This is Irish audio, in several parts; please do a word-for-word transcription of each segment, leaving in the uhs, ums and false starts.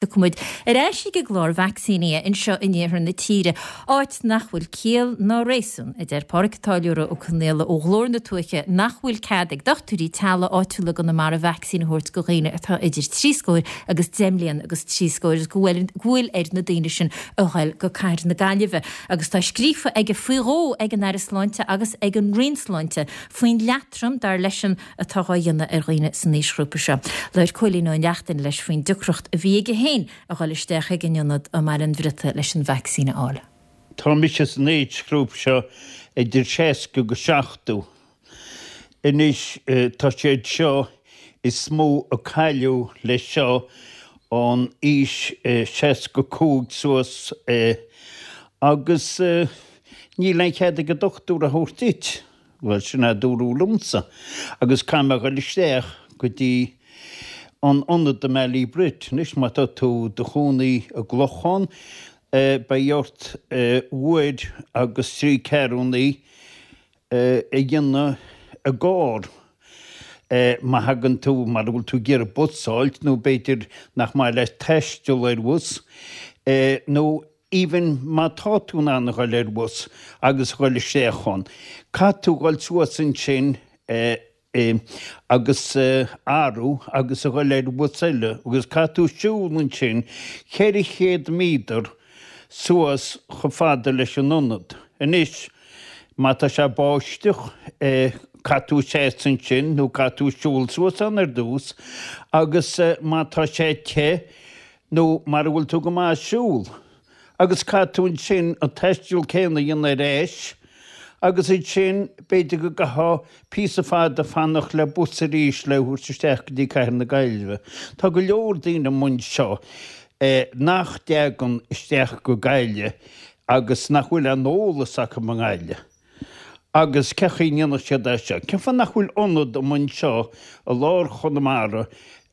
Tiocfaimid ar ais ag an gclár vacsaíní anseo in iarthar na tíre, áit nach bhfuil ciall ná réasún, a deir Pádraig Táilliúra Ó Conaola ó Ghlór na Tuaithe nach bhfuil cead ag dochtúirí teaghlaigh áitiúla i gConamara vacsaín a thabhairt do dhaoine atá idir trí scór agus deich mbliana agus trí scór agus go bhfuil go bhfuil ar na daoine sin a ghoil go Cathair na Gaillimhe. Agus tá scríofa aige faoi dhó ag an Aire Sláinte agus ag an Roinn Sláinte faoin leatrom dar leisean atá á dhéanamh ar dhaoine san aoisghrúpa seo. Labhair Cóilín Ó Neachtain leis faoin deacracht a bhí aige féin a dhul isteach ag an ionad i mBaile an Bhriotaigh leis an vacsaín a fháil. Tá mise san aoisghrúpa seo idir seasca go seachtó. Anois tá siad seo is mó a cailleadh leis seo ón aois seasca cúig suas agus níl aon chead ag an dochtúir a thabhairt duit. Bhuel sin a dúradh liomsa agus caithfidh mé a dhul isteach go dtí an ionad i mBallybrit. Anois má tá tú do chónaí i gClochán beidh ort uair agus trí ceathrúnaí a dhéanamh i gcarr má thagann tú mara bhfuil tú ag iarraidh bus a fháilt nó b'fhéidir nach maith leat taisteal ar bhus nó even má tá tú in ann a dhul ar bhus agus a dhul isteach ann. Caithfidh tú dhul suas ansin agus athrú agus a dhul ar bhus eile agus caithfidh tú siúl ansin ceithre chéad méadar suas chomh fada leis an ionad. Anois má tá sé báisteach caithfidh tú seasamh ansin nó caithfidh tú siúl suas ann ar dtús agus má tá sé te nó mara bhfuil tú go maith ag siúl agus caithfidh tú ansin an taisteal céanna a dhéanamh ar ais agus ansin b'fhéidir go gcaithfeá píosa fada fanacht le bus arís le thabhairt isteach go dtí Cathair na Gaillimhe. Tá go leor daoine amuigh anseo nach dteagann isteach go Gaillimh agus nach bhfuil aon eolas acu i nGaillimh. Agus cén chaoi a ndéanfadh siad é seo? Cén fáth nach bhfuil ionad amuigh anseo i lár Chonamara,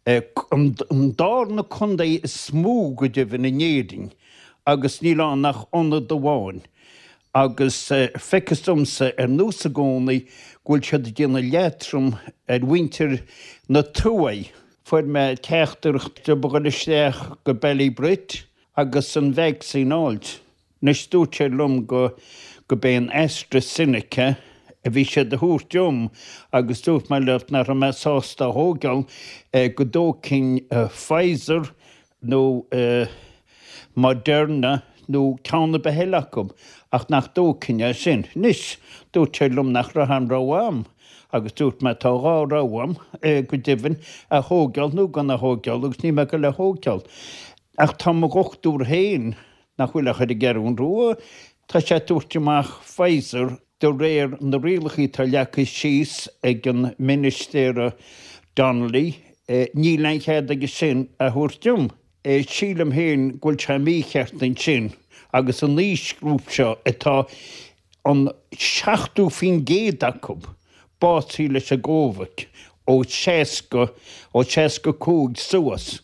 an darna contae is mó go deimhin in Éirinn, agus níl ann ach ionad amháin? Agus feictear domsa ar nós i gcónaí go bhfuil siad ag déanamh leatrom ar mhuintir na tuaithe. Fuair mé teachtaireacht a dhul isteach go Ballybrit agus an vacsaín a fháilt. Anois dúirt sé liom go go b'é an AstraZeneca a bhí siad a thabhairt dom agus dúirt mé leo nach raibh mé sásta a thógáil go dtógfainn Pfizer nó Moderna nó ceann ar bith eile acu ach nach dtógfainn é sin. Anois, dúirt sé liom nach raibh aon rogha a'm agus dúirt mé tá dhá rogha a'm, go deimhin, a thógáil nó gan a thógáil agus níl mé ag goil a thógáil. Ach tá mo dhochtúir féin, nach bhfuil ach ar an gCeathrú Rua, tá sé ag tabhairt amach Pfizer de réir na rialacha atá leagtha síos ag an Ministéara Donnelly, níl aon chead aige sin a thabhairt dom. Sílim féin go bhfuil sé mícheart ansin agus an aoisghrúpa seo atá an seachtó faoin gcéad acu básaithe leis an gCóivid ó seasca, ó seasca cúig suas,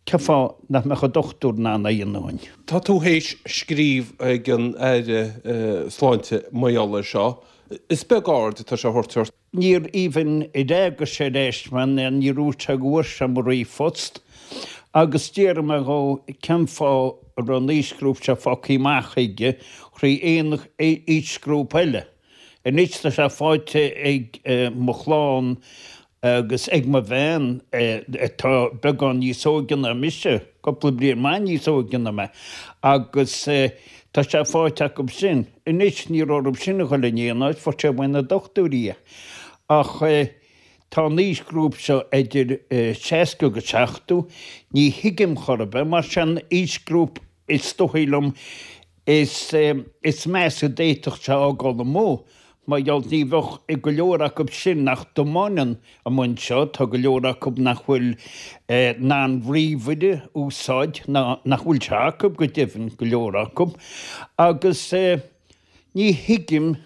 cén fáth nach mbeadh an dochtúir in ann é a dhéanamh dúinn? Tá tú théis scríobh ag an Aire Sláinte mar gheall air seo. Is beag aird atá sé a thabhairt ort. Níor even fhreagair sé ar ais mé ná níor dhúirt sé go bhfuair sé mo ríomhphost agus d'fhiafraigh mé dhó cén fáth a raibh an aoisghrúpa seo fágtha amach aige thrí aon aoisghrúpa eile. Anois tá sé faighte ag mo chlann agus ag mo bhean atá beagán níos óige ná mise, cúpla bliain maith níos óige ná mé, agus Tá sé faighte acu sin. Anois ní raibh orthu sin a dhul in aon áit, fuair sé uaidh na dochtúirí é. Ach tá an aoisghrúpa seo idir seasca agus seachtó, ní thuigim chor ar bith, mar sé an aoisghrúpa is dóigh liom is is measa a d'fhéadfadh sé a fhágáil amuigh. Mar gheall ní bheadh go leor acu sin nach dtiomáineann amuigh anseo, tá go leor acu nach bhfuil in ann ríomhaire a úsáid, ná nach bhfuil sé acu go deimhin, go leor acu, agus ní thuigim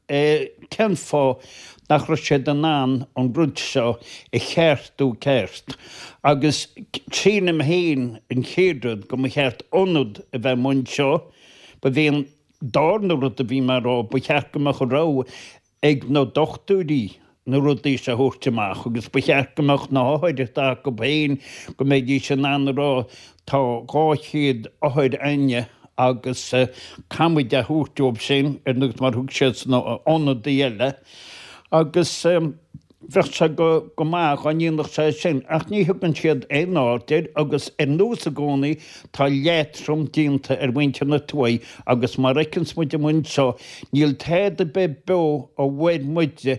cén fáth nach raibh siad in ann an rud seo a cheartú ceart. Agus sílim féin an chéad rud go mba cheart ionad a bheith amuigh anseo, ba bhí an darna rud a bhí mé a rá, ba cheart go mbeadh an rogha ag na dochtúirí na rudaí seo a thabhairt amach agus ba cheart go mbeadh na hothair atá acu féin, go mbeidís in ann a rá tá dhá chéad othar a'inne agus caithfidh muid a thabhairt dóibh sin ar nós mar thug siad sna ionadaí eile agus bheadh sé go go maith dá ndéanfadh sé sin ach ní thugann siad aon aird air agus ar nós i gcónaí tá leatrom déanta ar mhuintir na tuaithe agus mar a fheiceanns muid amuigh anseo níl tada ar bith beo a mhair muide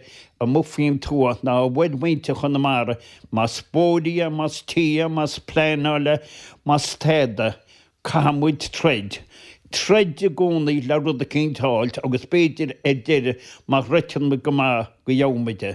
amuigh faoin tuath ná a mhair muintir Chonamara más bóithrí é, más tithe é, más pleanáil é, más tada. Caithfidh muid troid. Troid i gcónaí le rud eicínt a fháilt agus b'fhéidir ar deireadh má throideann muid go maith go gheobhaidh muid é.